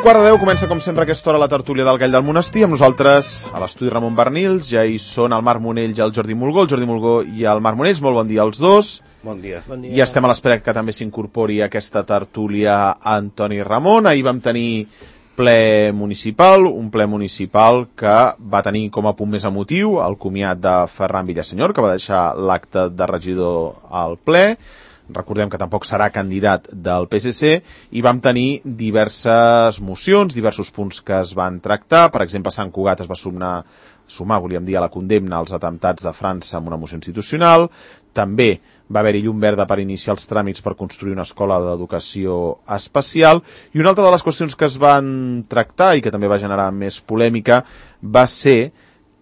9:15 comença, com sempre, a aquesta hora la tertúlia del Gall del Monestir. Amb nosaltres, a l'estudi Ramon Bernils, ja hi són el Marc Monell i el Jordi Mulgó. El Jordi Mulgó i el Marc Monells, molt bon dia als dos. Bon dia. I estem a l'espera que també s'incorpori a aquesta tertúlia Antoni Ramon. Ahir vam tenir ple municipal, un ple municipal que va tenir com a punt més emotiu el comiat de Ferran Villasenyor, que va deixar l'acte de regidor al ple. Recordem que tampoc serà candidat del PSC, i vam tenir diverses mocions, diversos punts que es van tractar. Per exemple, Sant Cugat es va sumar, volíem dir, a la condemna als atemptats de França amb una moció institucional. També va haver-hi llum verda per iniciar els tràmits per construir una escola d'educació especial. I una altra de les qüestions que es van tractar i que també va generar més polèmica va ser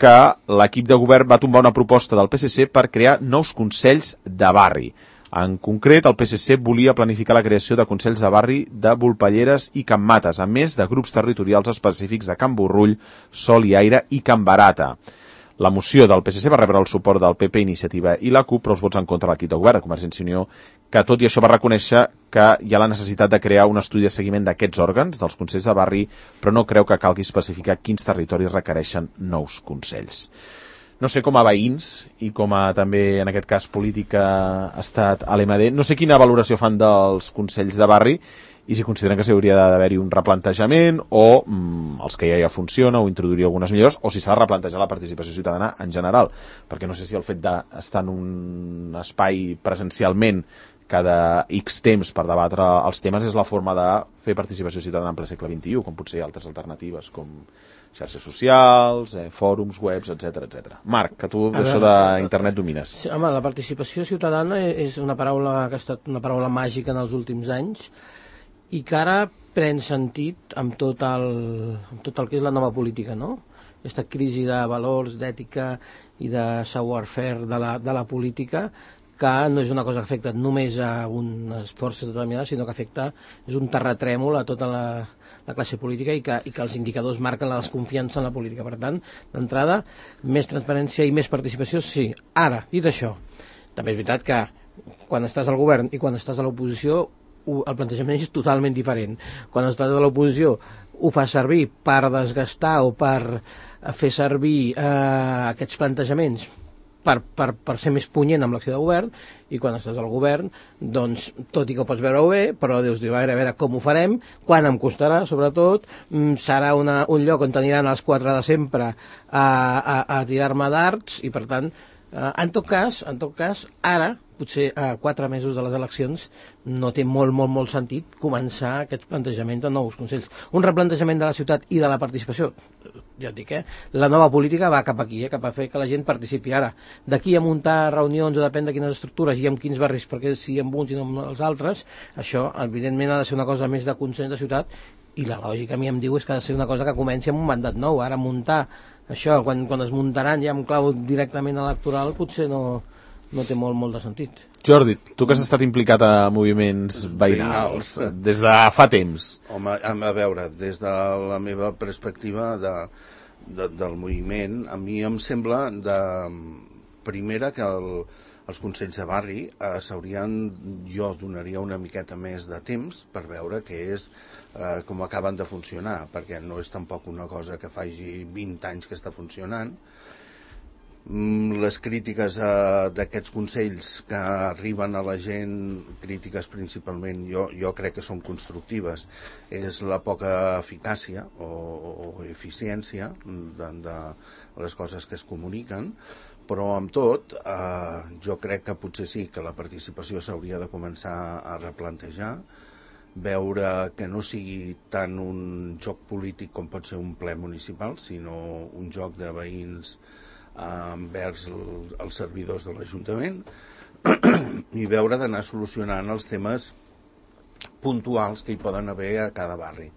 que l'equip de govern va tombar una proposta del PSC per crear nous consells de barri. En concret, el PSC volia planificar la creació de consells de barri de Volpelleres i Can Mates, a més de grups territorials específics de Can Borrull, Sol i Aire i Can Barata. La moció del PSC va rebre el suport del PP, Iniciativa i la CUP, però els vots en contra de l'equip de govern de Convergència i Unió, que tot i això va reconèixer que hi ha la necessitat de crear un estudi de seguiment d'aquests òrgans, dels consells de barri, però no creu que calgui especificar quins territoris requereixen nous consells. No sé, com a veïns i com a també, en aquest cas, política ha estat a l'MD, no sé quina valoració fan dels consells de barri i si consideren que s'hauria d'haver-hi un replantejament o els que ja funciona o introduir algunes millores, o si s'ha de replantejar la participació ciutadana en general, perquè no sé si el fet d'estar en un espai presencialment cada X temps per debatre els temes és la forma de fer participació ciutadana en ple segle XXI, com potser altres alternatives, com xarxes socials, fòrums, webs, etc. Marc, que tu d'això d'internet domines. Sí, home, la participació ciutadana és una paraula que ha estat una paraula màgica en els últims anys i que ara pren sentit amb tot el que és la nova política, no? Aquesta crisi de valors, d'ètica i de savoir-faire de la política, que no és una cosa que afecta només a unes forces determinades, sinó que és un terratrèmol a tota la classe política i que els indicadors marquen la desconfiança en la política. Per tant, d'entrada, més transparència i més participació, sí. Ara, dit això, també és veritat que quan estàs al govern i quan estàs a l'oposició el plantejament és totalment diferent. Quan estàs a l'oposició ho fas servir per desgastar o per fer servir aquests plantejaments per ser més punyent amb l'acció de govern, i quan estàs al govern, doncs, tot i que ho pots veure bé, però dius, a veure com ho farem, quan em costarà, sobretot, serà un lloc on aniran els quatre de sempre a tirar-me dards, i per tant, en tot cas, ara, potser a 4 mesos de les eleccions, no té molt sentit començar aquests plantejaments de nous consells. Un replantejament de la ciutat i de la participació, ja et dic, la nova política va cap aquí, cap a fer que la gent participi. Ara, d'aquí a muntar reunions, o depèn de quines estructures i en quins barris, perquè si amb uns i no amb els altres, això, evidentment, ha de ser una cosa més de consens de ciutat, i la lògica a mi em diu és que ha de ser una cosa que comenci amb un mandat nou. Ara muntar això, quan es muntaran ja amb clau directament electoral, potser no té molt de sentit. Jordi, tu que has estat implicat a moviments veïnals des de fa temps. Home, a veure, des de la meva perspectiva del moviment, a mi em sembla primera que els consells de barri jo donaria una miqueta més de temps per veure què és com acaben de funcionar, perquè no és tampoc una cosa que faci 20 anys que està funcionant. Les crítiques d'aquests consells que arriben a la gent, crítiques principalment, jo crec que són constructives, és la poca eficàcia o eficiència de les coses que es comuniquen, però amb tot jo crec que potser sí que la participació s'hauria de començar a replantejar, veure que no sigui tant un joc polític com pot ser un ple municipal, sinó un joc de veïns envers els servidors de l'Ajuntament i veure d'anar solucionant els temes puntuals que hi poden haver a cada barri.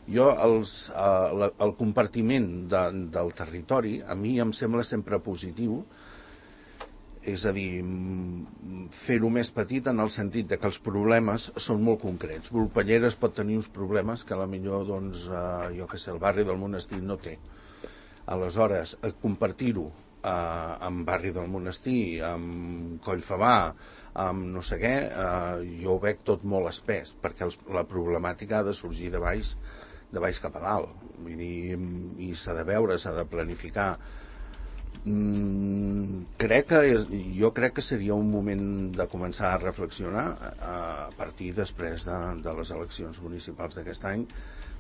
Jo, el compartiment del territori a mi em sembla sempre positiu, és a dir, fer-ho més petit en el sentit de que els problemes són molt concrets. Volpelleres pot tenir uns problemes que potser, doncs, jo que sé, el barri del Monestir no té. Aleshores, compartir-ho amb barri del Monestir, amb Collfabà, amb no sé què, jo ho veig tot molt espès, perquè la problemàtica ha de sorgir de baix de baix cap a dalt. Vull dir, i s'ha de veure, s'ha de planificar. Jo crec que seria un moment de començar a reflexionar a partir després de les eleccions municipals d'aquest any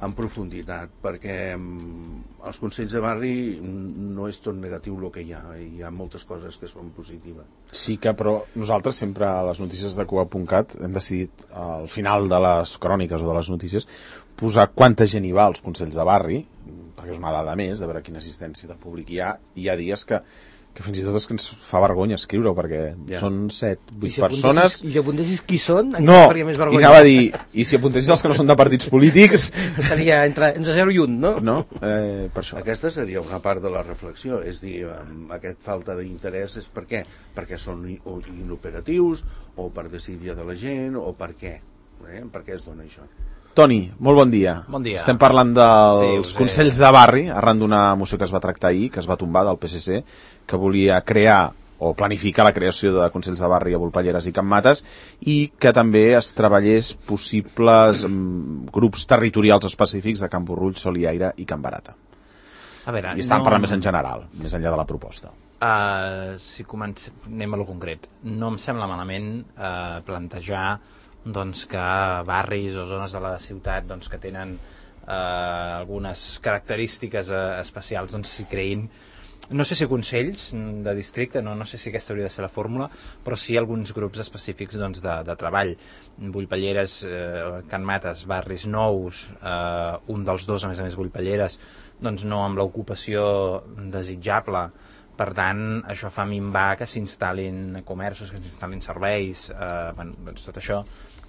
en profunditat, perquè els consells de barri no és tot negatiu el que hi ha moltes coses que són positives. Sí que, però nosaltres sempre a les notícies de Cuba.cat hem decidit al final de les cròniques o de les notícies posar quanta gent hi va als consells de barri, perquè és una dada més de veure quina assistència de públic hi ha, i hi ha dies que fins i tot és que ens fa vergonya escriure-ho, perquè són 7-8 persones... I si apuntessis qui són, no, faria més vergonya. I anava a dir, i si apuntessis els que no són de partits polítics... Seria entre 0 i 1, no? No, per això. Aquesta seria una part de la reflexió, és dir, aquest falta d'interès és per què? Perquè són inoperatius, o per decidir de la gent, o per què? Per què es dona això? Toni, molt bon dia. Bon dia. Estem parlant dels consells de barri, arran d'una moció que es va tractar ahir, que es va tombar del PSC, que volia crear o planificar la creació de consells de barri a Volpelleres i Can Mates, i que també es treballés possibles grups territorials específics de Can Borrull, Soliaire i Can Barata. A veure, I estàvem parlant més en general, més enllà de la proposta. Si anem a lo concret, no em sembla malament plantejar doncs, que barris o zones de la ciutat doncs, que tenen algunes característiques especials doncs, s'hi creïn, no sé si consells de districte, no sé si aquesta hauria de ser la fórmula, però sí alguns grups específics doncs, de treball. Volpelleres, Can Mates, barris nous, un dels dos, a més Volpelleres, doncs no amb l'ocupació desitjable. Per tant, això fa minvar que s'instal·lin comerços, que s'instal·lin serveis, doncs tot això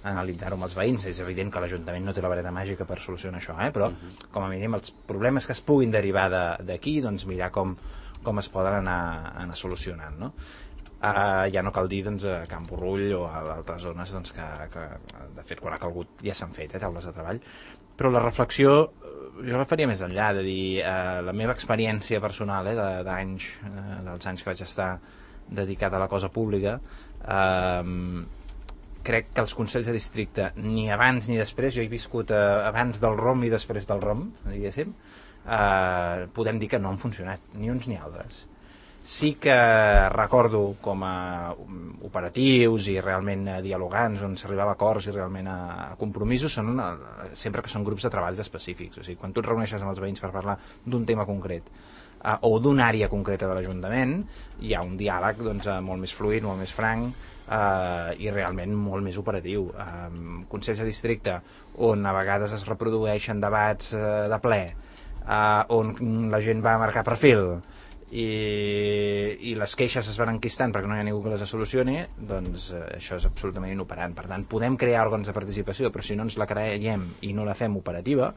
analitzar-ho amb els veïns. És evident que l'Ajuntament no té la vareta màgica per solucionar això, però com a mínim els problemes que es puguin derivar d'aquí, doncs mirar com es poden anar solucionant, no? Ja no cal dir doncs, a Can Borrull o a altres zones doncs, que de fet quan ha calgut ja s'han fet taules de treball, però la reflexió jo la faria més enllà, de dir la meva experiència personal dels anys que vaig estar dedicat a la cosa pública, crec que els consells de districte ni abans ni després, jo he viscut abans del ROM i després del ROM, diguéssim, podem dir que no han funcionat ni uns ni altres. Sí que recordo com a operatius i realment dialogants on s'arribava a acords i realment a compromisos són sempre que són grups de treballs específics. O sigui, quan tu et reuneixes amb els veïns per parlar d'un tema concret o d'una àrea concreta de l'Ajuntament, hi ha un diàleg doncs, molt més fluid, molt més franc i realment molt més operatiu. Consells de districte on a vegades es reprodueixen debats de ple, on la gent va a marcar perfil i les queixes es van enquistant perquè no hi ha ningú que les solucioni, doncs això és absolutament inoperant. Per tant, podem crear òrgans de participació, però si no ens la creiem i no la fem operativa,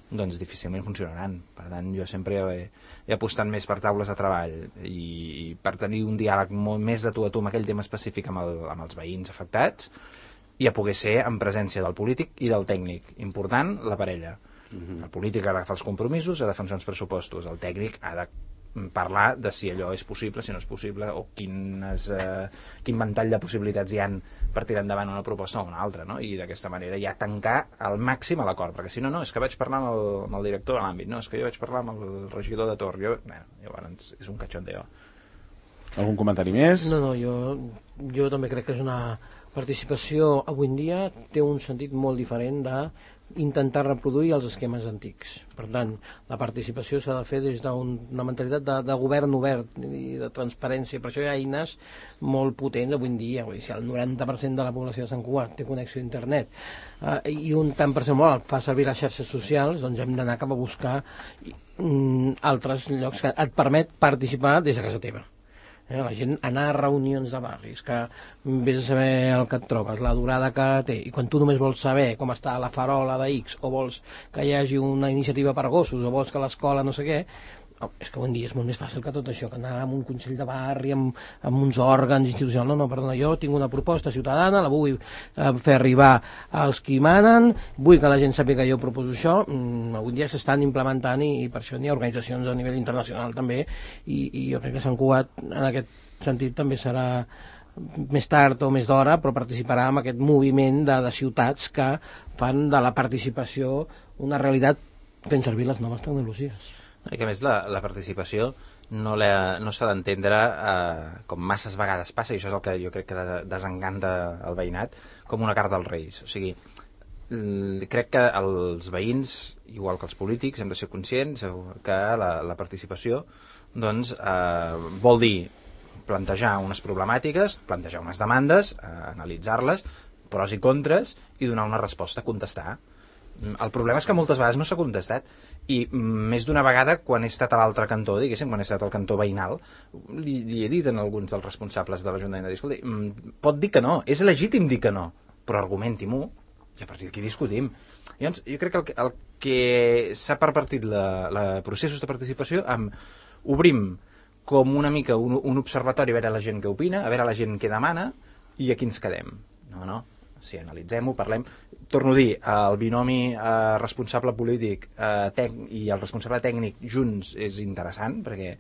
doncs difícilment funcionaran. Per tant, jo sempre he apostat més per taules de treball i per tenir un diàleg molt més de tu a tu amb aquell tema específic amb els veïns afectats i a poder ser en presència del polític i del tècnic. Important, la parella. El polític ha d'agafar els compromisos, ha de defensar uns pressupostos, el tècnic ha de parlar de si allò és possible, si no és possible, o quin ventall de possibilitats hi han per tirar endavant una proposta o una altra, no? I d'aquesta manera ja tancar al màxim a l'acord, perquè si no, és que vaig parlar amb el director de l'àmbit, no, és que jo vaig parlar amb el regidor de torn, llavors és un cachondeo. Algun comentari més? No, jo també crec que és una participació avui en dia té un sentit molt diferent d'intentar reproduir els esquemes antics. Per tant, la participació s'ha de fer des d'una mentalitat de govern obert i de transparència. Per això hi ha eines molt potents avui en dia. Si el 90% de la població de Sant Cugat té connexió a internet i un tant per cent molt alt fa servir les xarxes socials, doncs hem d'anar cap a buscar altres llocs que et permet participar des de casa teva. La gent anar a reunions de barris, que vés a saber el que et trobes, la durada que té, i quan tu només vols saber com està la farola de X, o vols que hi hagi una iniciativa per gossos, o vols que l'escola no sé què, és que avui en dia és molt més fàcil que tot això, que anar a un consell de barri amb uns òrgans institucionals. No, perdona, jo tinc una proposta ciutadana, la vull fer arribar als qui manen, vull que la gent sàpiga que jo proposo això. Avui en dia s'estan implementant i per això n'hi ha organitzacions a nivell internacional també, i jo crec que Sant Cugat en aquest sentit també serà més tard o més d'hora, però participarà en aquest moviment de ciutats que fan de la participació una realitat fent servir les noves tecnologies. I que a més la participació no s'ha d'entendre com masses vegades passa, i això és el que jo crec que desencanta el veïnat, com una carta als Reis. O sigui, crec que els veïns, igual que els polítics, hem de ser conscients que la participació doncs, vol dir plantejar unes problemàtiques, plantejar unes demandes, analitzar-les, pros i contres, i donar una resposta, contestar. El problema és que moltes vegades no s'ha contestat, i més d'una vegada quan he estat a l'altre cantó, diguéssim, quan he estat al cantó veïnal, li he dit a alguns dels responsables de l'Ajuntament, escolta, pot dir que no, és legítim dir que no, però argumenti-m'ho, i a partir d'aquí discutim. Llavors, jo crec que el que s'ha pervertit la processos de participació amb obrim com una mica un observatori a veure la gent què opina, a veure la gent què demana i aquí ens quedem. No. Si analitzem-ho, parlem. Torno a dir, el binomi responsable polític i el responsable tècnic junts és interessant, perquè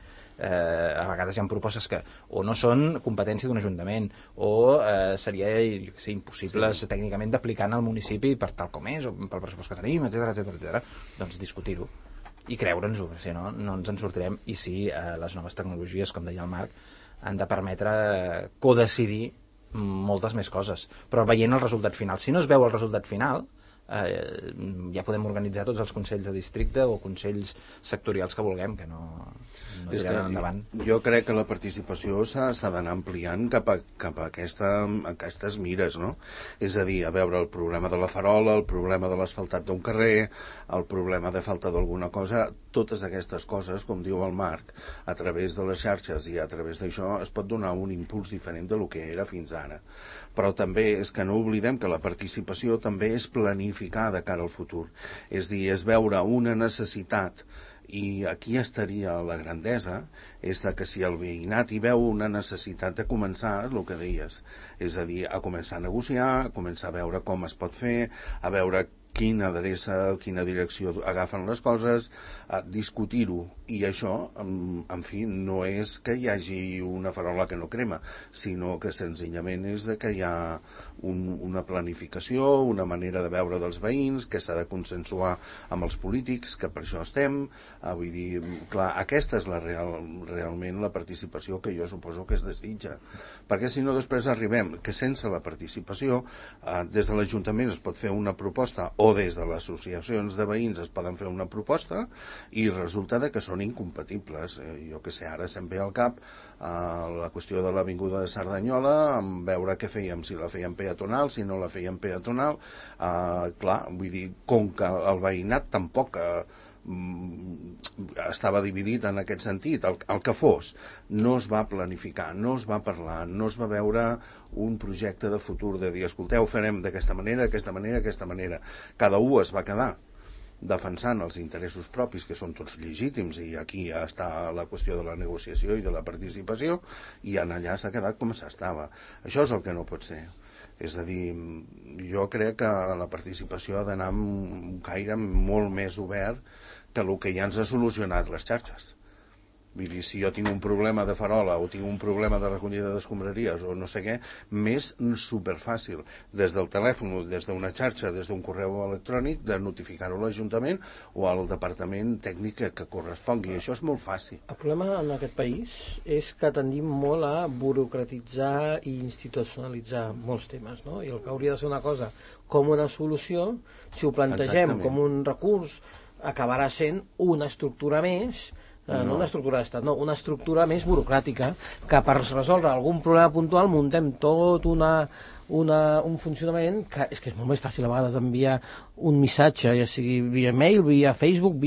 a vegades hi ha propostes que o no són competència d'un ajuntament o seria impossible tècnicament d'aplicar en el municipi per tal com és, o pel pressupost que tenim, etc. Doncs discutir-ho i creure'ns-ho, si no ens en sortirem. I sí, les noves tecnologies, com deia el Marc, han de permetre codecidir moltes més coses, però veient el resultat final. Si no es veu el resultat final, ja podem organitzar tots els consells de districte o consells sectorials que vulguem, que no tiraran endavant. Jo crec que la participació s'ha d'anar ampliant cap a aquestes mires, no? És a dir, a veure el problema de la farola, el problema de l'asfaltat d'un carrer, el problema de falta d'alguna cosa, totes aquestes coses, com diu el Marc, a través de les xarxes i a través d'això es pot donar un impuls diferent del que era fins ara. Però també és que no oblidem que la participació també és planificar de cara al futur. És dir, és veure una necessitat, i aquí estaria la grandesa, és que si el veïnat hi veu una necessitat de començar, el que deies, és a dir, a començar a negociar, a començar a veure com es pot fer, a veure quina adreça, quina direcció agafen les coses, discutir-ho. I això, en fi, no és que hi hagi una farola que no crema, sinó que senzillament és que hi ha una planificació, una manera de veure dels veïns, que s'ha de consensuar amb els polítics, que per això estem. Vull dir, clar, aquesta és realment la participació que jo suposo que es desitja. Perquè si no després arribem que sense la participació, des de l'Ajuntament es pot fer una proposta o des de les associacions de veïns es poden fer una proposta i resulta que són incompatibles. Jo que sé, ara se'm ve al cap la qüestió de l'Avinguda de Cerdanyola, amb veure què fèiem, si la fèiem peatonal, si no la fèiem peatonal. Clar, vull dir, com que el veïnat tampoc estava dividit en aquest sentit, el que fos, no es va planificar, no es va parlar, no es va veure un projecte de futur de dir, escolteu, farem d'aquesta manera, d'aquesta manera, d'aquesta manera. Cada un es va quedar defensant els interessos propis, que són tots legítims, i aquí està la qüestió de la negociació i de la participació, i en allà s'ha quedat com s'estava. Això és el que no pot ser. És a dir, jo crec que la participació ha d'anar amb un caire molt més obert que el que ja ens ha solucionat les xarxes. Vull dir, si jo tinc un problema de farola o tinc un problema de recollida d'escombraries o no sé què, m'és superfàcil des del telèfon, des d'una xarxa, des d'un correu electrònic, de notificar-ho a l'Ajuntament o al departament tècnic que correspongui. Això és molt fàcil. El problema en aquest país és que tendim molt a burocratitzar i institucionalitzar molts temes, no? I el que hauria de ser una cosa com una solució, si ho plantegem com un recurs, acabarà sent una estructura més, no una estructura d'estat, no, una estructura més burocràtica, que per resoldre algun problema puntual muntem tot un funcionament que és molt més fàcil a vegades d'enviar un missatge, ja sigui via mail, via Facebook,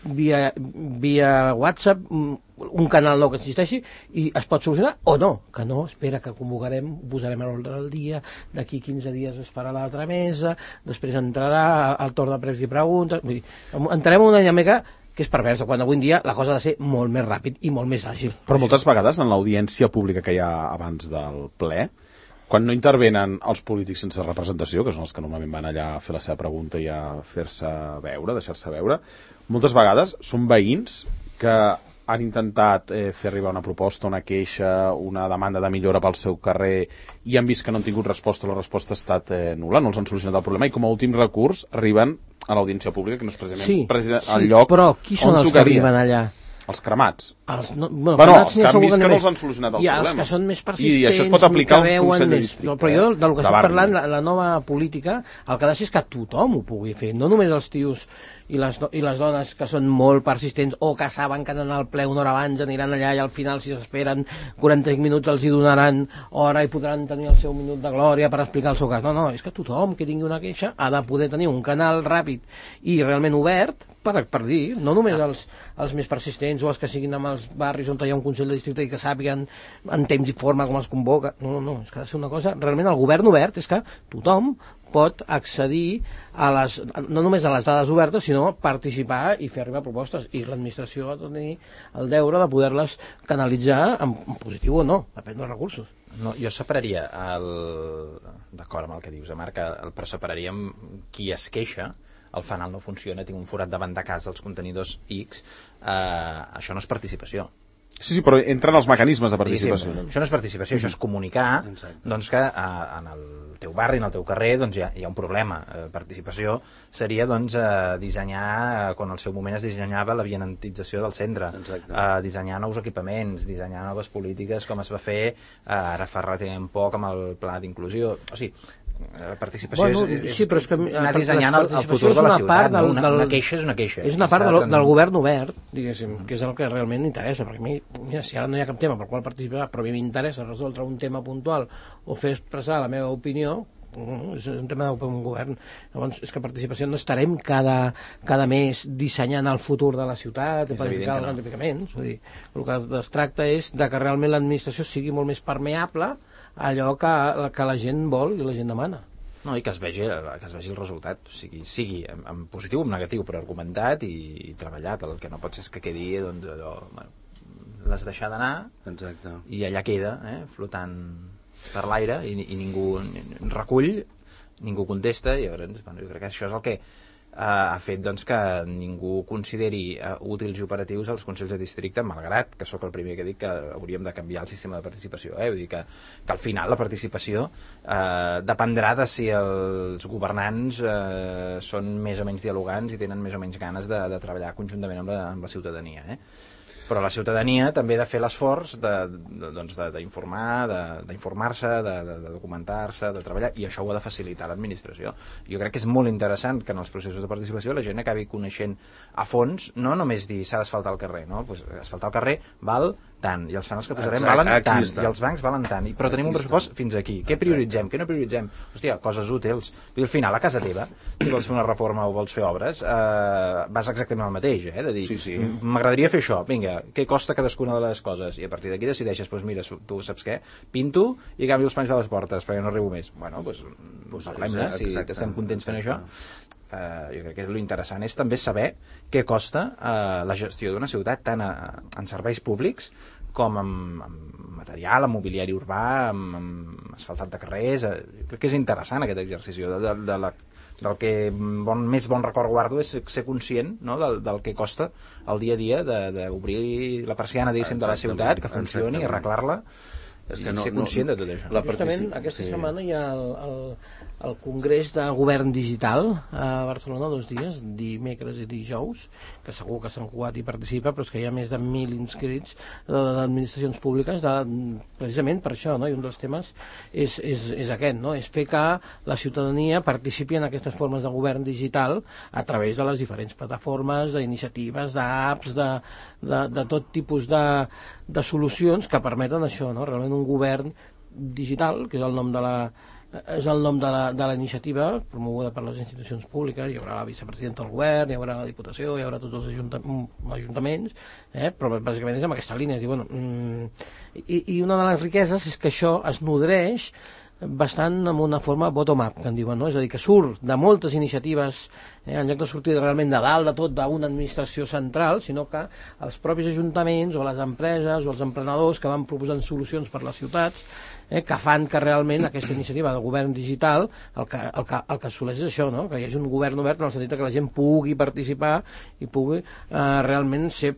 via WhatsApp, un canal nou que existeixi, i es pot solucionar o no, que no, espera que convocarem, posarem a l'ordre del dia, d'aquí 15 dies es farà l'altra mesa, després entrarà el torn de pregs i preguntes, vull dir, entrarem en una dinàmica que és perversa, quan avui en dia la cosa ha de ser molt més ràpid i molt més àgil. Però moltes vegades en l'audiència pública que hi ha abans del ple, quan no intervenen els polítics sense representació, que són els que normalment van allà a fer la seva pregunta i a fer-se veure, deixar-se veure, moltes vegades són veïns que han intentat fer arribar una proposta, una queixa, una demanda de millora pel seu carrer i han vist que no han tingut resposta, la resposta ha estat nul·la, no els han solucionat el problema i com a últim recurs arriben a l'audiència pública, que no és precisament, sí, el lloc però qui són els que arriben allà? Els cremats. Els canvis que no els han solucionat el problema. Els que són més persistents, i això es pot aplicar al Consell de Districte. Però jo, del que estic parlant, la nova política, el que ha de ser és que tothom ho pugui fer, no només els tios i les dones que són molt persistents o que saben que han d'anar al ple una hora abans, aniran allà i al final, si s'esperen 45 minuts, els hi donaran hora i podran tenir el seu minut de glòria per explicar el seu cas. No, és que tothom que tingui una queixa ha de poder tenir un canal ràpid i realment obert per dir, no només els més persistents o els que siguin amb els barris on hi ha un Consell de Districte i que sàpiguen en temps i forma com es convoca. No, és que ha de ser una cosa, realment el govern obert és que tothom pot accedir no només a les dades obertes, sinó participar i fer arribar propostes, i l'administració ha de tenir el deure de poder-les canalitzar en positiu o no, depèn dels recursos. No, jo separaria d'acord amb el que dius, Marc, però separaria qui es queixa, el fanal no funciona, tinc un forat davant de casa, els contenidors X, això no és participació. Sí, però entren els mecanismes de participació. Això no és participació, això és comunicar doncs, que en el teu barri, en el teu carrer, doncs, hi ha un problema. Participació seria doncs, dissenyar, quan al seu moment es dissenyava la vianantització del centre, dissenyar nous equipaments, dissenyar noves polítiques, com es va fer ara fa relativament poc amb el pla d'inclusió. O sigui, participació és anar dissenyant el futur de la ciutat. Una queixa és una queixa. És una part del govern obert, diguéssim, que és el que realment interessa, perquè a mi, mira, si ara no hi ha cap tema pel qual participar, però a mi m'interessa resoldre un tema puntual o fer expressar la meva opinió, és un tema d'un govern. Llavors, és que participació no estarem cada mes dissenyant el futur de la ciutat, planificar els planificaments. El que es tracta és de que realment l'administració sigui molt més permeable a allò que la gent vol i la gent demana. No, i que es vegi el resultat, sigui en positiu o en negatiu, però argumentat i treballat. El que no pot ser és que quedi doncs, allò, l'has deixat d'anar i allà queda, flotant per l'aire i ningú recull, ningú contesta, i llavors jo crec que això és el que ha fet doncs, que ningú consideri útils i operatius els Consells de Districte, malgrat que sóc el primer que dic que hauríem de canviar el sistema de participació. Vull dir que al final la participació dependrà de si els governants són més o menys dialogants i tenen més o menys ganes de treballar conjuntament amb la ciutadania. Però la ciutadania també ha de fer l'esforç d'informar, d'informar-se, de documentar-se, de treballar, i això ho ha de facilitar l'administració. Jo crec que és molt interessant que en els processos de participació la gent acabi coneixent a fons, no només dir s'ha d'asfaltar el carrer, no? Pues asfaltar el carrer val tant, i els fanals que posarem valen tant, i els bancs valen tant, però tenim un pressupost fins aquí. Què prioritzem, què no prioritzem? Hòstia, coses útils. Al final, a casa teva, si vols fer una reforma o vols fer obres, vas exactament al mateix, de dir, m'agradaria fer això, vinga, què costa cadascuna de les coses? I a partir d'aquí decideixes, doncs mira, tu saps què? Pinto i canvio els panys de les portes, perquè no arribo més. Bueno, doncs parlem-ne, si estem contents fent això. Jo crec que lo interessant és també saber què costa la gestió d'una ciutat, tant en serveis públics com amb material, amb mobiliari urbà, amb asfaltat de carrers. Crec que és interessant aquest exercici del que més bon record guardo és ser conscient, no, del que costa el dia a dia d'obrir la persiana, diguéssim, de la ciutat, que funcioni, arreglar-la, i ser conscient de tot això. Justament aquesta setmana hi ha el Congrés de Govern Digital a Barcelona, 2 dies, dimecres i dijous, que segur que Sant Cugat hi participa, però és que hi ha més de 1.000 inscrits d'administracions públiques, precisament per això, no? I un dels temes és aquest, no? És fer que la ciutadania participi en aquestes formes de govern digital a través de les diferents plataformes, d'iniciatives, d'apps, de tot tipus de solucions que permeten això, no? Realment un govern digital, que és el nom de la iniciativa promoguda per les institucions públiques. Hi haurà la vicepresidenta del govern, hi haurà la Diputació, hi haurà tots els ajuntaments, però bàsicament és amb aquesta línia. I una de les riqueses és que això es nodreix bastant amb una forma bottom-up, que en diuen, no? És a dir, que surt de moltes iniciatives, en lloc de sortir realment de dalt de tot d'una administració central, sinó que els propis ajuntaments o les empreses o els emprenedors que van proposant solucions per les ciutats, que fan que realment aquesta iniciativa de govern digital el que assoleix és això, no? Que hi hagi un govern obert en el sentit que la gent pugui participar i pugui realment ser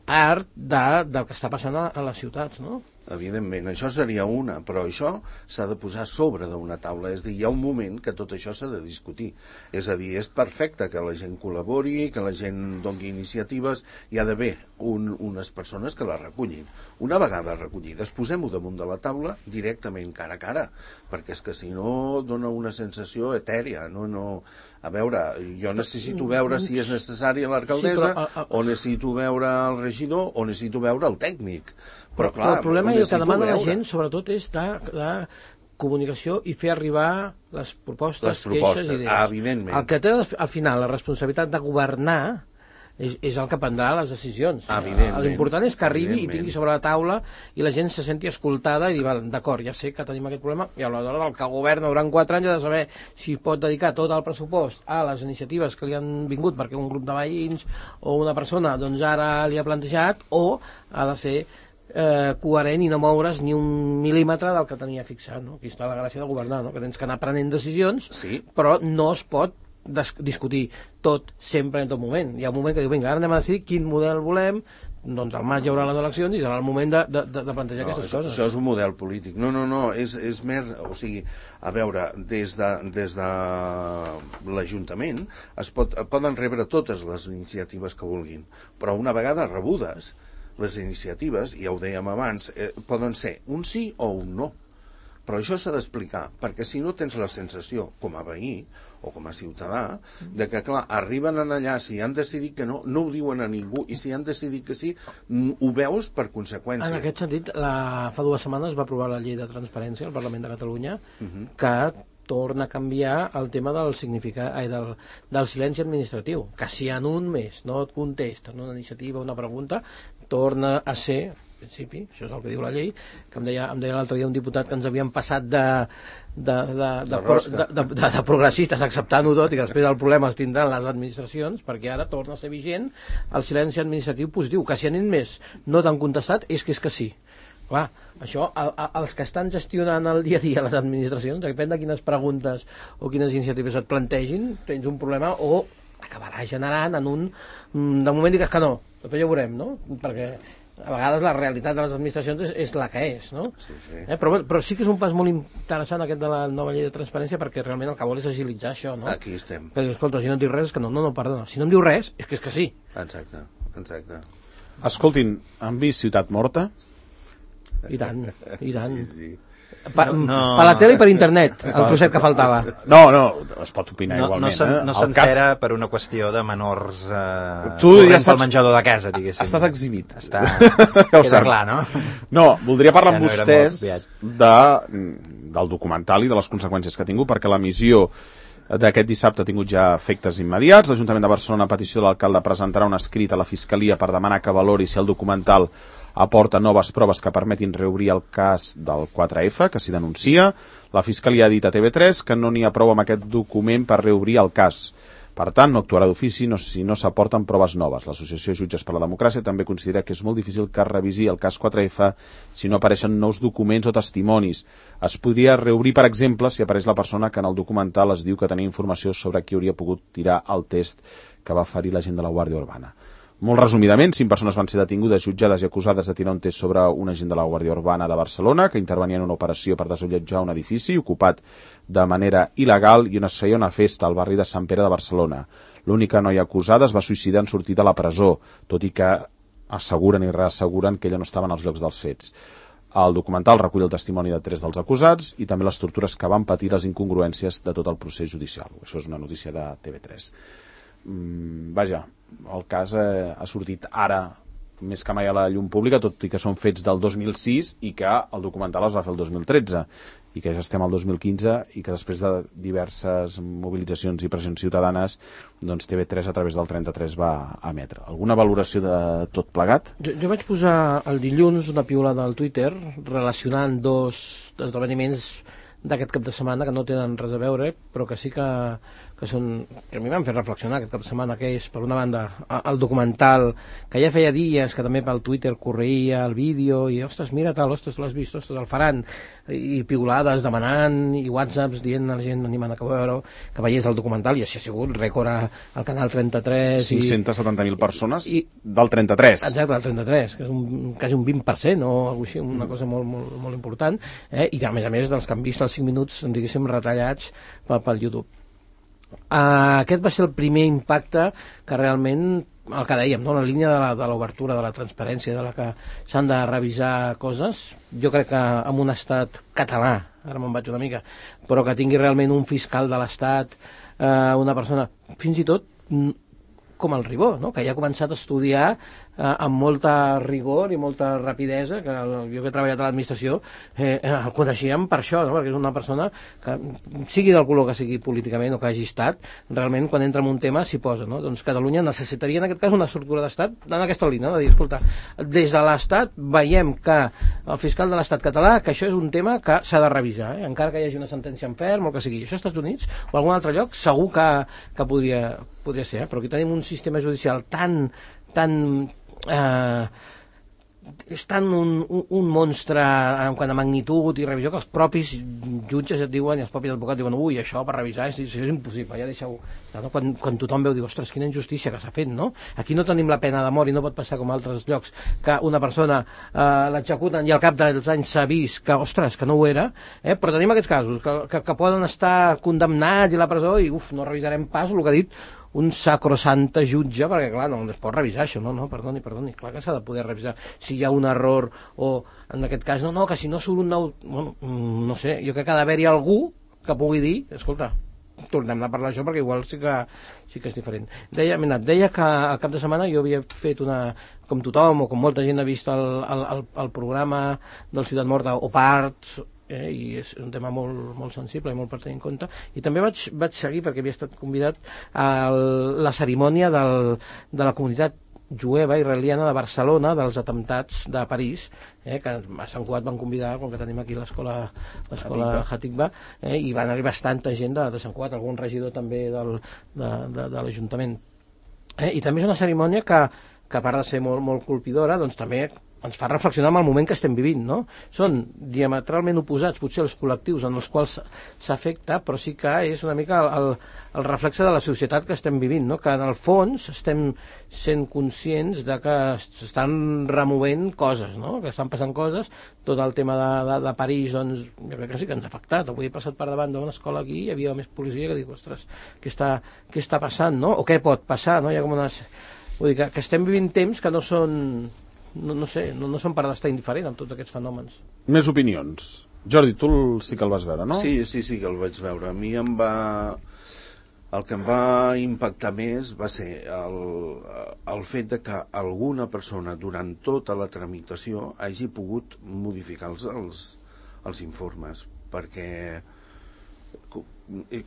part del que està passant a les ciutats, no? evidentment, això seria una, però això s'ha de posar sobre d'una taula, és a dir, hi ha un moment que tot això s'ha de discutir, és a dir, és perfecte que la gent col·labori, que la gent doni iniciatives, hi ha d'haver unes persones que les recullin. Una vegada recollides, posem-ho damunt de la taula directament cara a cara, perquè és que si no dona una sensació etèria, a veure, jo necessito veure si és necessària l'alcaldessa, o necessito veure el regidor, o necessito veure el tècnic. Però clar, el problema que demana la gent, sobretot, és de comunicació i fer arribar les propostes, queixes i idees. Evidentment. El que té al final la responsabilitat de governar és el que prendrà les decisions. L'important és que arribi i tingui sobre la taula i la gent se senti escoltada i dir, d'acord, ja sé que tenim aquest problema, i aleshores el que governa durant 4 anys ha de saber si pot dedicar tot el pressupost a les iniciatives que li han vingut perquè un grup de veïns o una persona doncs ara li ha plantejat, o ha de ser coherent i no moure's ni un mil·límetre del que tenia fixat, no? Aquí està la gràcia de governar, no? Que tens que anar prenent decisions, però no es pot discutir tot sempre en tot moment. Hi ha un moment que diu, vinga, ara anem a decidir quin model volem, doncs al maig hi haurà les eleccions i serà el moment de plantejar aquestes coses. Això és un model polític. No, és més, o sigui, a veure, des de l'Ajuntament poden rebre totes les iniciatives que vulguin, però una vegada rebudes les iniciatives, ja ho dèiem abans, poden ser un sí o un no. Però això s'ha d'explicar, perquè si no tens la sensació, com a veí o com a ciutadà, de que, clar, arriben allà, si han decidit que no ho diuen a ningú, i si han decidit que sí, ho veus per conseqüència. En aquest sentit, fa 2 setmanes va aprovar la llei de transparència al Parlament de Catalunya, que torna a canviar el tema del significat del silenci administratiu, que si en un mes no et contesten una iniciativa, una pregunta, torna a ser, en principi, això és el que diu la llei, que em deia l'altre dia un diputat que ens havien passat de progressistes acceptant-ho tot i que després el problema es tindran les administracions, perquè ara torna a ser vigent el silenci administratiu positiu, que si en un mes no t'han contestat és que sí. Clar, això, els que estan gestionant el dia a dia les administracions, depèn de quines preguntes o quines iniciatives et plantegin, tens un problema o acabarà generant en de moment digues que no, després ja ho veurem, no? Perquè a vegades la realitat de les administracions és la que és, no? Sí. Però sí que és un pas molt interessant aquest de la nova llei de transparència, perquè realment el que vol és agilitzar això, no? Aquí estem. Perquè, escolta, si no em diu res, és que no, perdona. Si no em diu res, és que sí. Exacte. Escoltin, han vist Ciutat Morta? I tant. Sí. Per la tele i per internet, el trosset que faltava. No, es pot opinar igualment. No sencera per una qüestió de menors tu ja saps, pel menjador de casa, diguéssim. Estàs exhibit. Queda clar, no? No, voldria parlar amb vostès del documental i de les conseqüències que ha tingut, perquè l'emissió d'aquest dissabte ha tingut ja efectes immediats. L'Ajuntament de Barcelona, a petició de l'alcalde, presentarà un escrit a la Fiscalia per demanar que valori si el documental aporta noves proves que permetin reobrir el cas del 4F, que s'hi denuncia. La Fiscalia ha dit a TV3 que no n'hi ha prou amb aquest document per reobrir el cas. Per tant, no actuarà d'ofici si no s'aporten proves noves. L'Associació Jutges per la Democràcia també considera que és molt difícil que es revisi el cas 4F si no apareixen nous documents o testimonis. Es podria reobrir, per exemple, si apareix la persona que en el documental es diu que tenia informació sobre qui hauria pogut tirar el test que va ferir l'agent de la Guàrdia Urbana. Molt resumidament, 5 persones van ser detingudes, jutjades i acusades de tirar un test sobre un agent de la Guàrdia Urbana de Barcelona que intervenia en una operació per desallotjar un edifici ocupat de manera il·legal i on es feia una festa al barri de Sant Pere de Barcelona. L'única noia acusada es va suïcidar en sortir de la presó, tot i que asseguren i reasseguren que ella no estava en els llocs dels fets. El documental recull el testimoni de 3 dels acusats i també les tortures que van patir, les incongruències de tot el procés judicial. Això és una notícia de TV3. Vaja, el cas ha sortit ara més que mai a la llum pública, tot i que són fets del 2006 i que el documental es va fer el 2013 i que ja estem al 2015 i que després de diverses mobilitzacions i pressions ciutadanes, doncs TV3 a través del 33 va emetre. Alguna valoració de tot plegat? Jo vaig posar el dilluns una piulada al Twitter relacionant 2 esdeveniments d'aquest cap de setmana que no tenen res a veure, però que sí que que a mi m'han fet reflexionar aquest cap de setmana, que és, per una banda, el documental, que ja feia dies que també pel Twitter correia el vídeo, i ostres, mira tal, ostres, l'has vist, ostres, el faran, i piulades demanant, i whatsapps dient a la gent, animant a que veiés el documental, i així ha sigut rècord al Canal 33. 570.000 persones del 33. Exacte, del 33, que és quasi un 20%, o alguna cosa així, una cosa molt, molt, molt important, i a més dels que han vist els 5 minuts, diguéssim, retallats pel YouTube. Aquest va ser el primer impacte que realment, el que dèiem, no? La línia de l'obertura, de la transparència, de la que s'han de revisar coses. Jo crec que en un estat català, ara me'n vaig una mica, però que tingui realment un fiscal de l'estat, una persona, fins i tot com el Ribó, no? Que ja ha començat a estudiar amb molta rigor i molta rapidesa, que jo que he treballat a l'administració el coneixíem per això, no? Perquè és una persona que, sigui del color que sigui políticament o que hagi estat, realment quan entra en un tema s'hi posa, no? Doncs Catalunya necessitaria en aquest cas una estructura d'estat en aquesta línia, no? De dir, escolta, des de l'estat veiem que el fiscal de l'estat català, que això és un tema que s'ha de revisar, encara que hi hagi una sentència en ferm o que sigui. Això als Estats Units o a algun altre lloc segur que podria ser, però aquí tenim un sistema judicial tan és tant un monstre en quant a magnitud i revisió que els propis jutges et diuen i els propis advocats diuen ui, això per revisar és impossible, ja deixeu, no? Quan tothom veu, diu, ostres, quina injustícia que s'ha fet, no? Aquí no tenim la pena de mort i no pot passar com a altres llocs que una persona l'executen i al cap dels anys s'ha vist que, ostres, que no ho era, però tenim aquests casos que poden estar condemnats i a la presó i no revisarem pas el que ha dit un sacrosanta jutge, perquè clar, no es pot revisar això, no, perdoni, clar que s'ha de poder revisar si hi ha un error o en aquest cas, no, que si no surt un nou, bueno, no sé, jo crec que ha d'haver-hi algú que pugui dir, escolta, tornem a parlar d'això perquè igual sí que és diferent. Deia que al cap de setmana jo havia fet com tothom o com molta gent ha vist el programa del Ciutat Morta o parts, i és un tema molt, molt sensible i molt per tenir en compte, i també vaig seguir perquè havia estat convidat a la cerimònia de la comunitat jueva israeliana de Barcelona dels atemptats de París, que a Sant Cugat van convidar, com que tenim aquí l'escola Hatikva, i van arribar bastanta gent de Sant Cugat, algun regidor també de l'Ajuntament, i també és una cerimònia que a part de ser molt, molt colpidora, doncs també ens fa reflexionar amb el moment que estem vivint, no? Són diametralment oposats, potser els col·lectius en els quals s'afecta, però sí que és una mica el reflexe de la societat que estem vivint, no? Que en el fons estem sent conscients de que s'estan removent coses, no? Que estan passant coses, tot el tema de París, doncs, jo crec que sí que ens ha afectat. Avui he passat per davant d'una escola aquí i hi havia més policia que dic, ostres, què està passant, no? O què pot passar, no? Hi ha com unes... Vull dir que estem vivint temps que no són... No sé, no són per estar indiferent amb tots aquests fenòmens. Més opinions. Jordi, tu sí que el vas veure, no? Sí que el vaig veure. A mi el que em va impactar més va ser el fet de que alguna persona durant tota la tramitació hagi pogut modificar els informes, perquè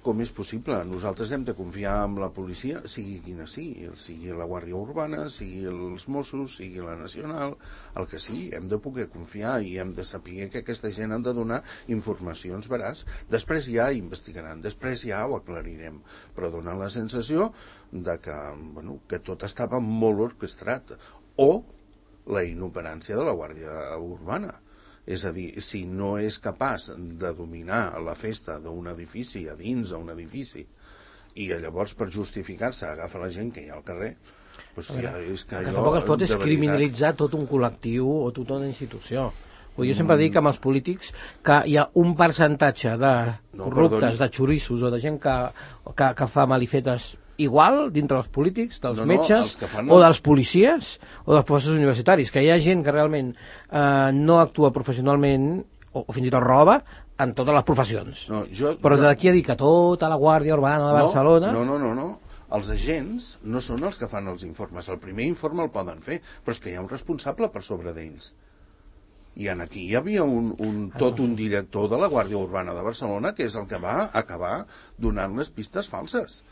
com és possible? Nosaltres hem de confiar en la policia, sigui quina sigui la Guàrdia Urbana, sigui els Mossos, sigui la Nacional, el que sigui, hem de poder confiar i hem de saber que aquesta gent han de donar informacions veraç. Després ja investigaran, després ja ho aclarirem, però dona la sensació de que tot estava molt orquestrat, o la inoperància de la Guàrdia Urbana. És a dir, si no és capaç de dominar la festa d'un edifici a dins d'un edifici i llavors per justificar-se agafa la gent que hi ha al carrer, doncs ja és que allò... Tampoc es pot criminalitzar tot un col·lectiu o tota una institució. Jo sempre dic amb els polítics que hi ha un percentatge de corruptes, de xorissos o de gent que fa malifetes igual dintre dels polítics, dels metges o dels policies o dels professors universitaris, que hi ha gent que realment no actua professionalment o fins i tot roba en totes les professions, però d'aquí a dir que tota la Guàrdia Urbana de Barcelona... No, els agents no són els que fan els informes, el primer informe el poden fer, però és que hi ha un responsable per sobre d'ells. I aquí hi havia un director de la Guàrdia Urbana de Barcelona que és el que va acabar donant les pistes falses.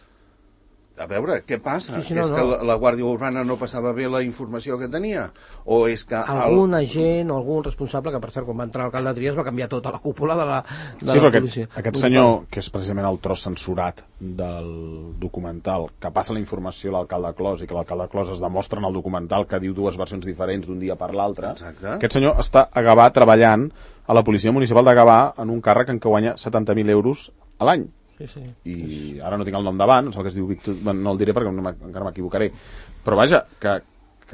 A veure, què passa? Sí, És que la Guàrdia Urbana no passava bé la informació que tenia? O és que... Algun agent o algun responsable, que per cert, quan va entrar l'alcalde Trias va canviar tota la cúpula de la policia. Aquest senyor, que és precisament el tros censurat del documental, que passa la informació a l'alcalde Clos i que l'alcalde Clos es demostra en el documental que diu dues versions diferents d'un dia per l'altre, aquest senyor està a Gavà treballant a la policia municipal de Gavà en un càrrec en què guanya 70.000 euros a l'any. Sí. I ara no tinc el nom davant, que es diu Víctor, no el diré perquè encara m'equivocaré, però vaja, que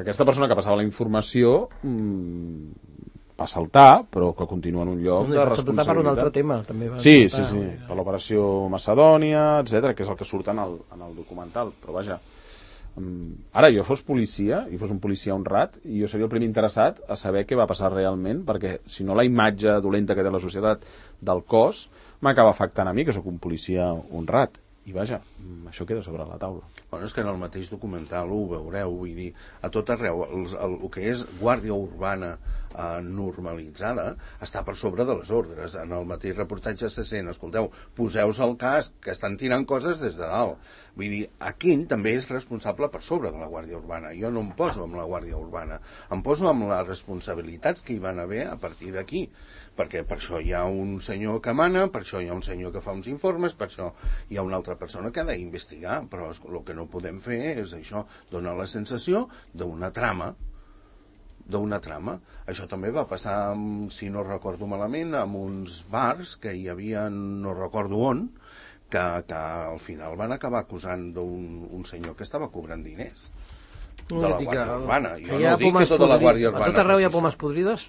aquesta persona que passava la informació va saltar, però que continua en un lloc de responsabilitat. Per un altre tema, també va sí, per l'operació Macedònia, etc, que és el que surt en el documental, però vaja, ara jo fos policia i fos un policia honrat, i jo seria el primer interessat a saber què va passar realment, perquè si no la imatge dolenta que té la societat del cos m'acaba afectant a mi, que sóc un policia honrat. I vaja, això queda sobre la taula. Bueno, és que en el mateix documental ho veureu, vull dir, a tot arreu, el que és guàrdia urbana normalitzada està per sobre de les ordres. En el mateix reportatge se sent, escolteu, poseu-vos el casc, que estan tirant coses des de dalt. Vull dir, Aquín també és responsable per sobre de la Guàrdia Urbana. Jo no em poso amb la Guàrdia Urbana, em poso amb les responsabilitats que hi van haver a partir d'aquí, perquè per això hi ha un senyor que mana, per això hi ha un senyor que fa uns informes, per això hi ha una altra persona que ha d'investigar, però el que no podem fer és això, donar la sensació d'una trama. Això també va passar, si no recordo malament, amb uns bars que hi havia, no recordo on, que al final van acabar acusant d'un senyor que estava cobrant diners de la Guàrdia Urbana. Jo no dic que tota la Guàrdia Urbana... A tot arreu hi ha pomes podrides?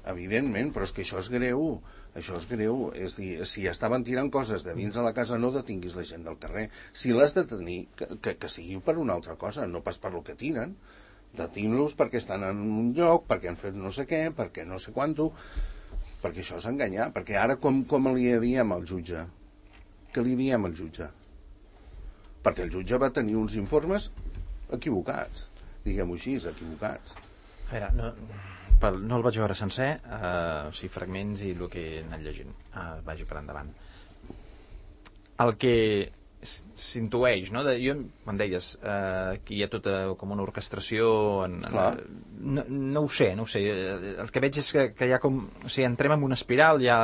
Evidentment, però és que això és greu. Això és greu, és dir, si estaven tirant coses de dins de la casa, no detinguis la gent del carrer. Si l'has de tenir, que sigui per una altra cosa, no pas per lo que tiren. Detinc-los perquè estan en un lloc, perquè han fet no sé què, perquè no sé quanto, perquè això és enganyar. Perquè ara com li diem al jutge? Què li diem al jutge? Perquè el jutge va tenir uns informes equivocats, diguem-ho així, equivocats. A veure, no el vaig veure sencer, o sigui, fragments i el que he anat llegint. Vagi per endavant. El que s'intueix, no? Quan deies que hi ha tota com una orquestració... No ho sé. El que veig és que hi ha com... O sigui, entrem en una espiral, hi ha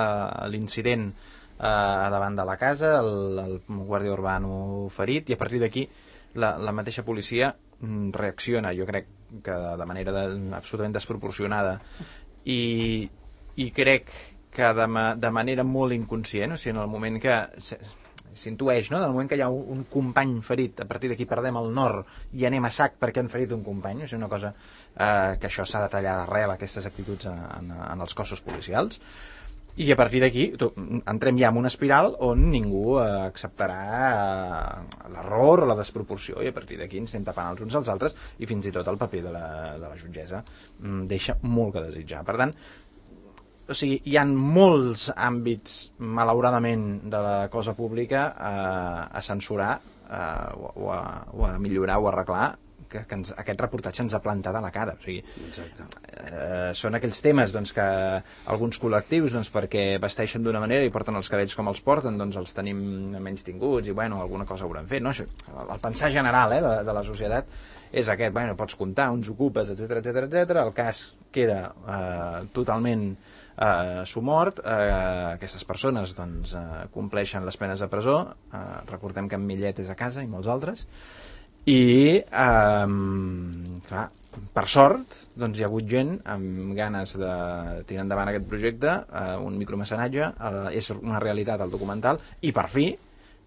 l'incident davant de la casa, el guàrdia urbano ferit, i a partir d'aquí la mateixa policia reacciona, jo crec que de manera absolutament desproporcionada, i crec que de manera molt inconscient, o sigui, en el moment que s'intueix, no? En el moment que hi ha un company ferit, a partir d'aquí perdem el nord i anem a sac perquè han ferit un company, o sigui, una cosa que això s'ha de tallar d'arrel, aquestes actituds en els cossos policials. I a partir d'aquí entrem ja en una espiral on ningú acceptarà l'error o la desproporció, i a partir d'aquí ens anem tapant els uns als altres, i fins i tot el paper de la jutgessa deixa molt que desitjar. Per tant, o sigui, hi ha molts àmbits, malauradament, de la cosa pública a censurar o a millorar o a arreglar, que aquest reportatge ens ha plantat a la cara. O sigui, són aquells temes doncs, que alguns col·lectius, doncs, perquè vesteixen d'una manera i porten els cabells com els porten, doncs els tenim menys tinguts i bueno, alguna cosa hauran fet, no? Això, el pensar general de la societat és aquest, bueno, pots comptar, uns ocupes, etc. El cas queda totalment somort, aquestes persones doncs, compleixen les penes de presó, recordem que en Millet és a casa i molts altres, i clar, per sort doncs hi ha hagut gent amb ganes de tirar endavant aquest projecte, un micromecenatge, és una realitat al documental, i per fi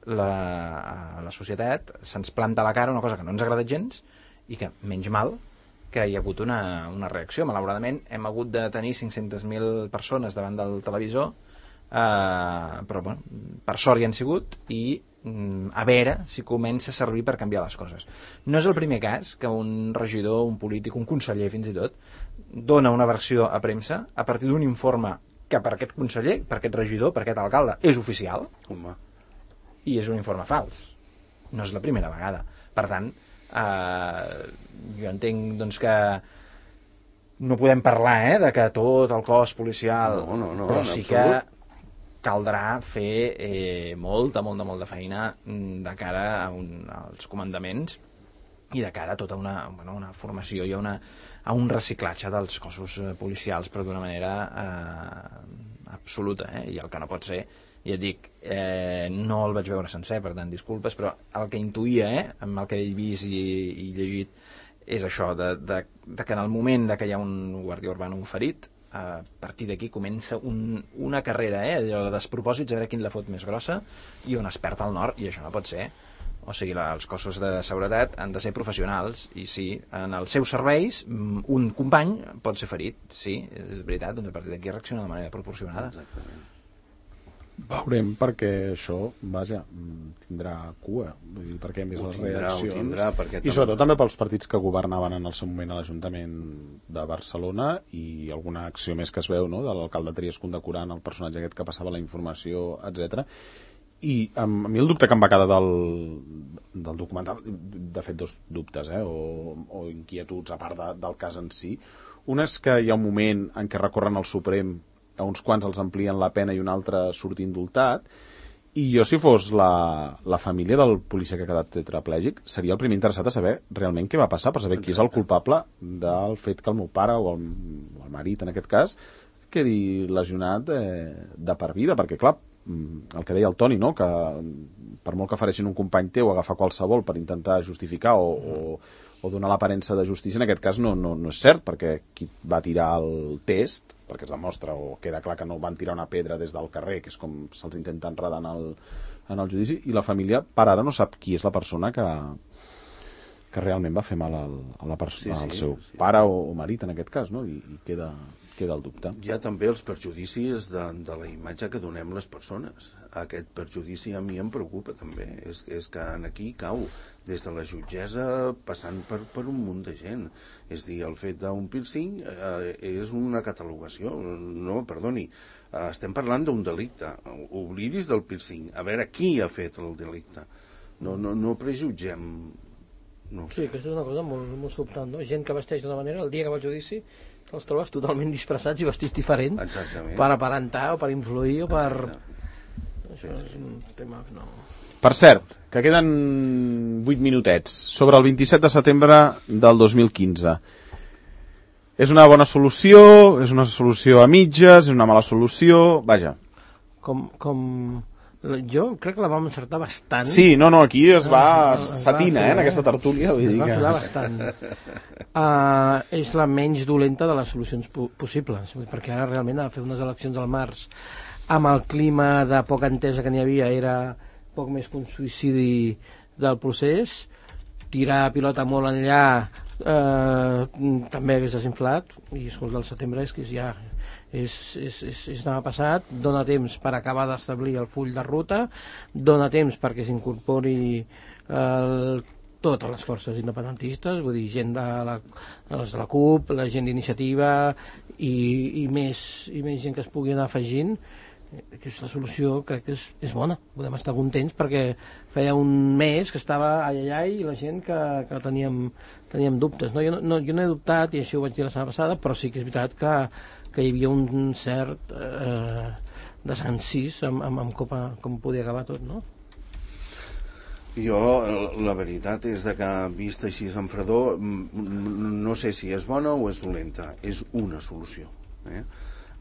la societat se'ns planta a la cara una cosa que no ens agrada gens, i que menys mal que hi ha hagut una reacció. Malauradament hem hagut de tenir 500.000 persones davant del televisor, però bueno, per sort hi han sigut, i a veure si comença a servir per canviar les coses. No és el primer cas que un regidor, un polític, un conseller fins i tot, dona una versió a premsa a partir d'un informe que per aquest conseller, per aquest regidor, per aquest alcalde és oficial. Home. I és un informe fals. No és la primera vegada. Per tant, jo entenc doncs, que no podem parlar de que tot el cos policial, no, però sí absolut. caldrà fer molta feina de cara als comandaments i de cara a tota una formació i a un reciclatge dels cossos policials, però d'una manera absoluta, i el que no pot ser, ja et dic, no el vaig veure sencer, per tant disculpes, però el que intuïa, amb el que he vist i llegit, és això, de que en el moment que hi ha un guàrdia urbà ferit, a partir d'aquí comença una carrera, allò de despropòsits, a veure quin la fot més grossa i on es perd el nord, i això no pot ser. O sigui, els cossos de seguretat han de ser professionals, i sí, en els seus serveis un company pot ser ferit, sí, és veritat, doncs a partir d'aquí reacciona de manera proporcionada. Exactament. Veurem, perquè això, vaja, tindrà cua, vull dir, perquè més les reaccions i sobretot també pels partits que governaven en el seu moment a l'Ajuntament de Barcelona, i alguna acció més que es veu, no?, de l'alcalde Trias condecorant el personatge aquest que passava la informació, etc. I a mi el dubte que em va quedar del documental, de fet dos dubtes, o inquietuds a part del cas en si. Un és que hi ha un moment en què recorren al Suprem, a uns quants els amplien la pena i un altre surt indultat, i jo, si fos la família del policia que ha quedat tetraplègic, seria el primer interessat a saber realment què va passar, per saber qui és el culpable del fet que el meu pare o el marit, en aquest cas, quedi lesionat de per vida, perquè clar, el que deia el Toni, no?, que per molt que fareixin un company teu, agafar qualsevol per intentar justificar o donar l'aparença de justícia, en aquest cas no és cert, perquè qui va tirar el test, perquè es demostra o queda clar que no van tirar una pedra des del carrer, que és com se'ls intenta enredar en el judici, i la família per ara no sap qui és la persona que realment va fer mal al seu pare o marit, en aquest cas, no?, i queda el dubte. Hi ha també els perjudicis de la imatge que donem les persones. Aquest perjudici a mi em preocupa també, és que aquí cau des de la jutgessa passant per un munt de gent. És dir, el fet d'un piercing és una catalogació. No, perdoni, estem parlant d'un delicte. Oblidis del piercing. A veure qui ha fet el delicte. No prejutgem. No. Sí, aquesta és una cosa molt sobtant, no? Gent que vesteix d'una manera, el dia que va al judici els trobes totalment disfressats i vestits diferents. Exactament. Per aparentar o per influir o per... Exacte. Això és un tema que no... Per cert, que queden 8 minutets sobre el 27 de setembre del 2015. És una bona solució, és una solució a mitges, és una mala solució, vaja. Jo crec que la vam encertar bastant. Sí, aquí es va satina, en aquesta tertúlia. Vull dir va filar bastant. És la menys dolenta de les solucions possibles, perquè ara realment a fer unes eleccions al març amb el clima de poca entesa que n'hi havia era poc més que un suïcidi del procés. Tirar pilota molt enllà també hagués desinflat, i escolta, el setembre és que ja és demà passat. Dóna temps per acabar d'establir el full de ruta, dóna temps perquè s'incorpori totes les forces independentistes, vull dir, gent de la CUP, la gent d'iniciativa i més gent que es pugui anar afegint. Que és la solució, crec que és bona, podem estar contents, perquè feia un mes que estava allà i la gent que teníem dubtes, no? Jo no he dubtat, i això ho vaig dir la setmana passada, però sí que és veritat que hi havia un cert desencís amb com podia acabar tot, no? Jo, la veritat és que vist així en fredor, no sé si és bona o és dolenta, és una solució.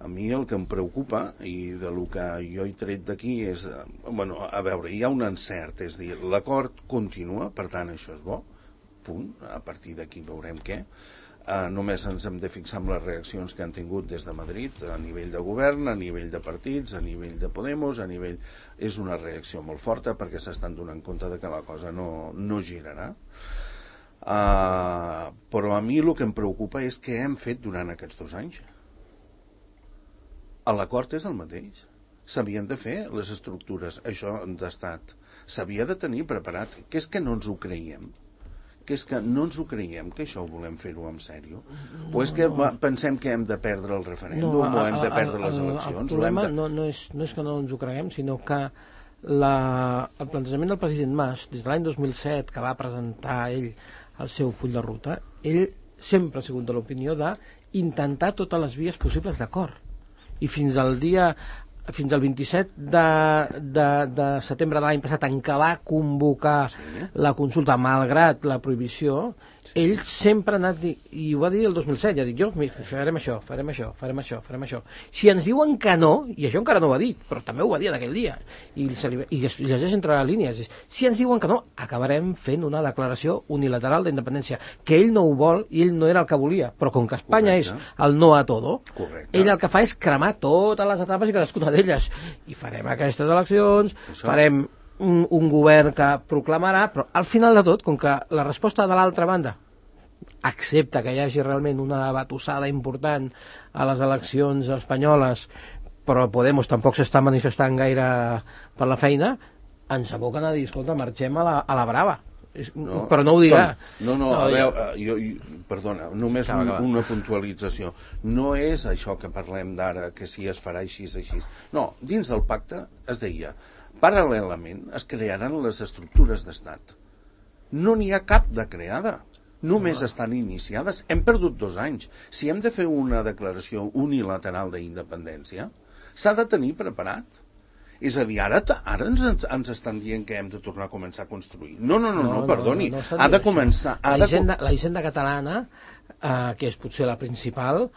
A mi el que em preocupa, i de lo que jo he tret d'aquí és, a veure, hi ha un encert, és dir, l'acord continua, per tant això és bo, punt, a partir d'aquí veurem què. Només ens hem de fixar en les reaccions que han tingut des de Madrid, a nivell de govern, a nivell de partits, a nivell de Podemos, a nivell... És una reacció molt forta perquè s'estan donant compte de que la cosa no girarà. Però a mi el que em preocupa és què hem fet durant aquests 2 anys. L'acord és el mateix. S'havien de fer les estructures, això d'estat. S'havia de tenir preparat. Que és que no ens ho creiem? Que és que no ens ho creiem, que això ho volem fer-ho en sèrio? O és que pensem que hem de perdre el referèndum o hem de perdre les eleccions? El problema no és que no ens ho creguem, sinó que el plantejament del president Mas, des de l'any 2007, que va presentar ell el seu full de ruta, ell sempre ha sigut de l'opinió d'intentar totes les vies possibles d'acord. I fins al dia fins al 27 de setembre de l'any passat, en què va convocar la consulta, malgrat la prohibició, ell sempre ha anat, i ho va dir el 2007, ja dic jo, farem això. Si ens diuen que no, i això encara no ho ha dit, però també ho va dir en aquell dia, i llegeix entre les línies, si ens diuen que no, acabarem fent una declaració unilateral d'independència, que ell no ho vol i ell no era el que volia, però com que Espanya és el no a todo, ell el que fa és cremar totes les etapes i cadascuna d'elles, i farem aquestes eleccions, farem un govern que proclamarà, però al final de tot, com que la resposta de l'altra banda accepta que hi hagi realment una batussada important a les eleccions espanyoles, però Podemos tampoc s'està manifestant gaire per la feina, ens aboquen a dir, escolta, marxem a la brava. No, però no ho dirà. A veure, perdona, només una puntualització. No és això que parlem d'ara, que si es farà així. No, dins del pacte es deia, paral·lelament es crearan les estructures d'estat. No n'hi ha cap de creada. Només estan iniciades. Hem perdut 2 anys. Si hem de fer una declaració unilateral d'independència, s'ha de tenir preparat. És a dir, ara ens estan dient que hem de tornar a començar a construir. No, perdoni. Ha de començar... La hisenda catalana, que és potser la principal,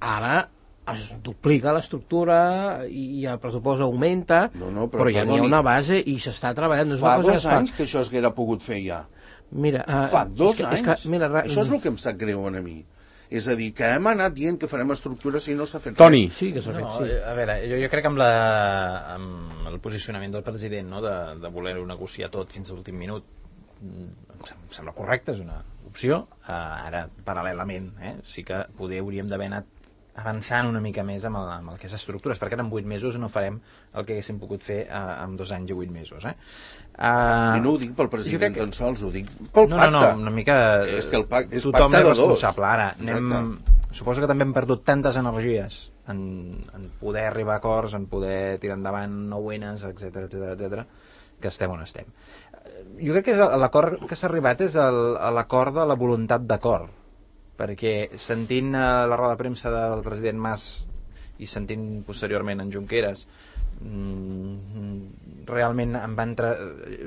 ara es duplica l'estructura i el pressupost augmenta, però ja n'hi ha una base i s'està treballant. Fa 2 anys que això s'haguera pogut fer ja. Mira, fa 2 anys. Això és el que em sap greu a mi. És a dir, que hem anat dient que farem estructures i no s'ha fet Toni. res. Sí que s'ha fet, sí. A veure, jo crec que amb el posicionament del president, no, de voler-ho negociar tot fins a l'últim minut, em sembla correcte, és una opció. Ara, paral·lelament, sí que poder hauríem d'haver anat avançant una mica més amb el que és estructures, perquè en 8 mesos no farem el que haguéssim pogut fer en 2 anys i 8 mesos. I no ho dic pel president tan sols, ho dic pel pacte. No, una mica... És que el pacte és tothom pacte és de 2. responsable. Ara, suposo que també hem perdut tantes energies en poder arribar a acords, en poder tirar endavant 9-enes, etc, que estem on estem. Jo crec que l'acord que s'ha arribat és l'acord de la voluntat d'acord, perquè sentint la roda de premsa del president Mas i sentint posteriorment en Junqueras, realment em va entrar,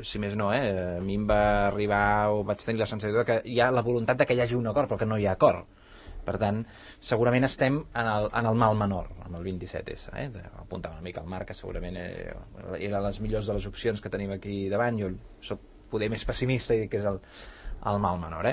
si més no, a mi em va arribar o vaig tenir la sensació que hi ha la voluntat de que hi hagi un acord, però que no hi ha acord. Per tant, segurament estem en el mal menor, amb el 27S. Apuntava una mica al Marc, que segurament era les millors de les opcions que tenim aquí davant. Jo soc poder més pessimista i dic que és el mal menor.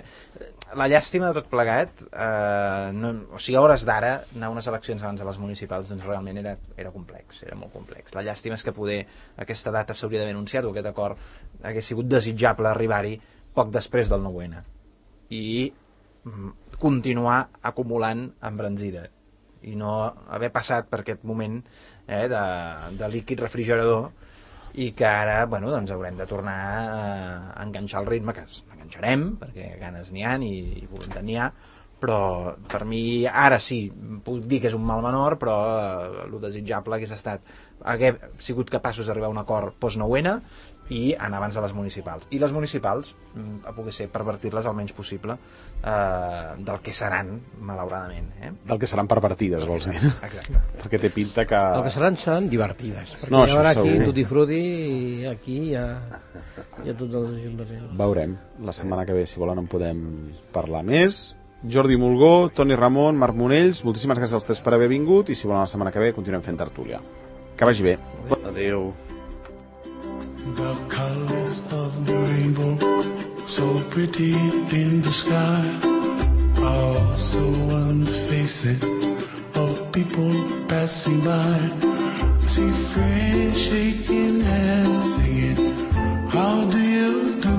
La llàstima de tot plegat, o sigui, a hores d'ara, anar a unes eleccions abans de les municipals, doncs realment era complex, era molt complex. La llàstima és que poder aquesta data s'hauria d'haver anunciat, o aquest acord hagués sigut desitjable arribar-hi poc després del 9-N. I continuar acumulant embranzida i no haver passat per aquest moment de líquid refrigerador, i que ara doncs haurem de tornar a enganxar el ritme, que enganxarem perquè ganes n'hi ha i voluntat n'hi ha, però per mi ara sí, puc dir que és un mal menor, però el desitjable hagués estat haver sigut capaços d'arribar a un acord post-9-N i anar abans de les municipals. I les municipals, a poder ser, pervertir-les el menys possible del que seran, malauradament. Del que seran pervertides, vols dir? Exacte. Perquè té pinta que... El que seran divertides. Perquè no, hi haurà aquí segur. Tutti Frutti i aquí hi ha tots els ajuntaments. Veurem. La setmana que ve, si volen, en podem parlar més. Jordi Mulgó, Toni Ramon, Marc Monells, moltíssimes gràcies als tres per haver vingut i si volen la setmana que ve continuem fent tertúlia. Que vagi bé. Adéu. The colors of the rainbow, so pretty in the sky, are also on the faces of people passing by. I see friends shaking hands, singing, how do you do?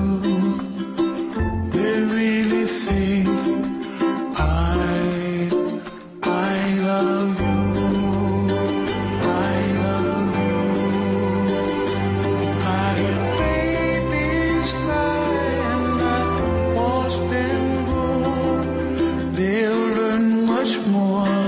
They really say, I love you. More